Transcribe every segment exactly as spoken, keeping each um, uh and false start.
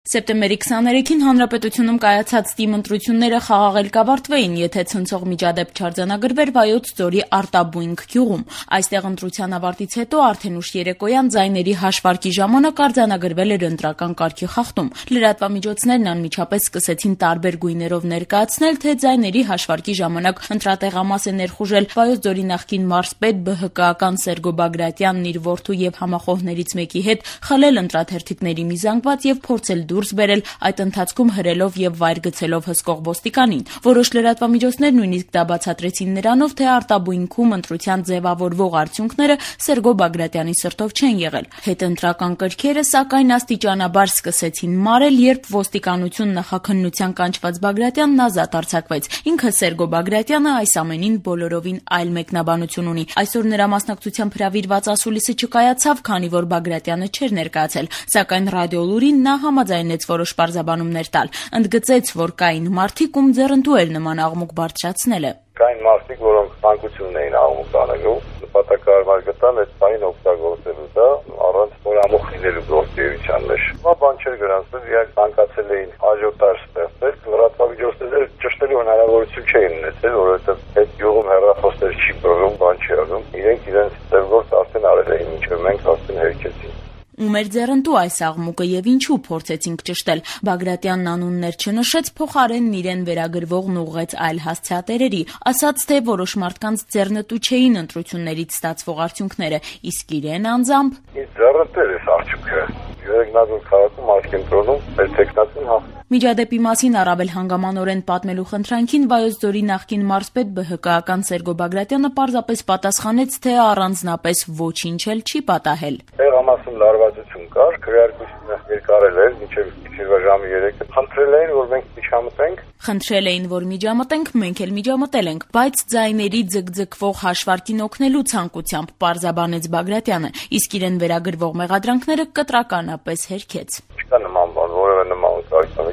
Սեպտեմբերի քսաներեքին Հանրապետությունում կայացած ՏԻՄ ընտրությունները խաղաղ կավարտվեին, եթե ցնցող միջադեպ չարձանագրվեր Վայոց ձորի Արտաբույնք գյուղում։ Այստեղ ընտրության ավարտից հետո արդեն ուշ երեկոյան ձայների հաշվարկի ժամանակ արձանագրվել էր ընտրական կարգի խախտում։ Լրատվամիջոցներն անմիջապես սկսեցին տարբեր գույներով ներկայացնել, թե ձայների հաշվարկի ժամանակ ընտրատեղամաս է ներխուժել Վայոց ձորի նախկին մարզպետ ԲՀԿ-ական Սերգո Բագրատյանն իր որդու եւ համախոհներից մեկի հետ խլել ընտրաթերթիկների մի զանգված եւ փորձել դուրս բերել, այդ ընթացքում հրելով եւ վայր գցելով հսկող ոստիկանին։ Որոշ լրատվամիջոցներ նույնիսկ դա բացատրեցին նրանով, թե Արտաբույնքում ընտրության ձևավորվող արդյունքները Սերգո Բագրատյանի սրտով չեն եղել։ Հետընտրական կրքերը, սակայն, աստիճանաբար սկսեցին մարել, երբ ոստիկանություն նախաքննության կանչված Բագրատյանն ազատ արձակվեց։ Ինքը Սերգո Բագրատյանը այս ամենին բոլորովին այլ մեկնաբանություն ունի։ Այսօր նրա մասնակցությամբ հրավիրված ասուլիսը չկայացավ, քանի որ Բագրատյանը չէր ներկայացել, սակայն ռադիոլուրին նա համաձայնեց որոշ պարզաբանումներ տալ։ Ընդգծեց, որ կային մարդիկ, ում ձեռնտու էր նման աղմուկ բարձրացնելը։ Կային մարդիկ, որոնք ցանկություն էին աղմուկ անելու, նպատակահարմար գտան այդ բանին օգտագործելու դա առանց նորամուխ լինելու գործիության մեջ։ Բա բան չէր գրանցվել, իրենք ցանկացել էին աժիոտաժ ստեղծել, լրատվամիջոցները ճշտելու հնարավորություն չէին ունեցել, որովհետև այդ յուղում հեռախոսներ չի բռնում, բան չի անում։ Իրենք իրենց ձեռքով արդեն արել էին, ինչը մենք արդեն հերքեցինք։ Ում էր ձեռնտու այս աղմուկը եւ ինչու փորձեցինք ճշտել։ Բագրատյանն անուններ չնշեց, փոխարենն իրեն վերագրվողն ուղղեց այլ հասցեատերերի, ասաց, թե որոշ մարդկանց ձեռնտու չէին ընտրություններից ստացվող արդյունքները, իսկ իրեն անձամբ ձեռնտու էր արդյունքը։ Երեքնազոր քաղաքում աշկենտրոնում էր տեխնացին հաղթ։ Միջադեպի մասին առավել հանգամանորեն պատմելու խնդրանքին Վայոց ձորի նախկին մարզպետ ԲՀԿ-ական Սերգո Բագրատյանը պարզապես պատասխանեց, թե առանձնապես ոչինչ էլ չի պատահել։ Տեղամասում լարվածություն կար, քրեարկությունը երկարել էր, մինչև գիշերվա ժամը երեքը։ Խնդրել էին, որ մենք միջամտենք։ Խնդրել էին, որ միջամտենք, մենք էլ միջամտել ենք, բայց ձայների ձգձգվող հաշվարկին օգնելու ցանկությամբ, պարզաբանեց Բագրատյանը, իսկ իրեն վերագրվող մեղադրանքները կտրականապես հերքեց։ Չկա նման բան, որևէ նման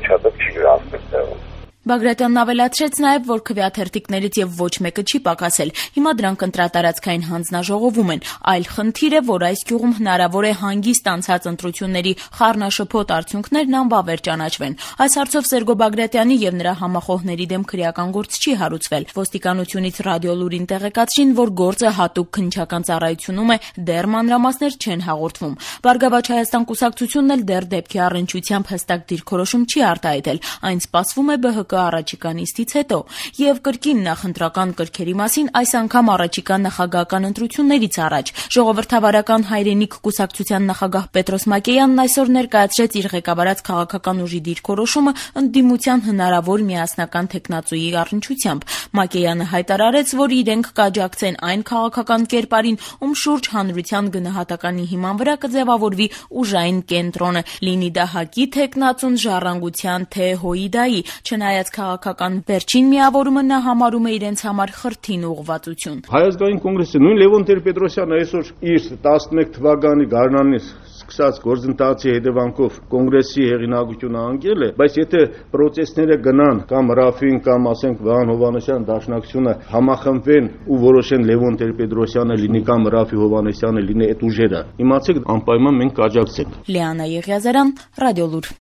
միջադեպ չի գրանցվել տեղում։ Բագրատյանն ավելացրեց նաև, որ քվեաթերթիկներից եւ ոչ մեկը չի պակասել։ Հիմա դրանք ընտրատարածքային հանձնաժողովում են։ Այլ խնդիր է, որ այս գյուղում հնարավոր է հանգիստ անցած ընտրությունների խառնաշփոթ արդյունքներն անվավեր ճանաչվեն։ Այս հարցով Սերգո Բագրատյանի եւ նրա համախոհների դեմ քրեական գործ չի հարուցվել։ Ոստիկանությունից ռադիոլուրին տեղեկացրին, որ գործը հատուկ քննչական ծառայությունում է, դեռ մանրամասներ չեն հաղորդվում։ Բարգավաճ Հայաստան կուսակցությունն էլ դեռ դեպքի առնչությամբ հստակ դիրքորոշում չի արտահայտել։ Այն սպասվում է ԲՀԿ առաջիկա նիստից հետո, եւ կրկին նախընտրական կրքերի մասին այս անգամ առաջիկա նախագահական ընտրություններից առաջ։ Ժողովրդավարական հայրենիք կուսակցության նախագահ Պետրոս Մակեյանն այսօր ներկայացրեց իր ղեկավարած քաղաքական ուժի դիրքորոշումը ընդդիմության հնարավոր միասնական թեկնածուի առնչությամբ։ Մակեյանը հայտարարեց, որ իրենք կաջակցեն այն քաղաքական կերպարին, ում շուրջ հանրության գնահատականի հիման վրա կձևավորվի ուժային կենտրոնը, լինի դա ՀԱԿ-ի թեկնածուն, Ժառանգության, թե ՀՅԴ-ի։ Չնայած քաղաքական վերջին միավորումը նա համարում է իրենց համար խրթին ուղղվածություն։ Հայ ազգային կոնգրեսը նույն Լևոն Տեր-Պետրոսյանը այսօր իր տասնմեկ թվականի գարնանից սկսած գործընթացի հետևանքով կոնգրեսի հեղինակությունը անկել է, բայց եթե պրոցեսները գնան կամ Ռաֆին կամ ասենք Վահան Հովհաննիսյան դաշնակցությունը համախմբվեն ու որոշեն Լևոն Տեր-Պետրոսյանը լինի կամ Ռաֆի Հովհաննիսյանը լինի այդ ուժերը, իմացեք անպայման մենք կաջակցենք։ Լիանա Եղիազարյան, Ռադիոլուր։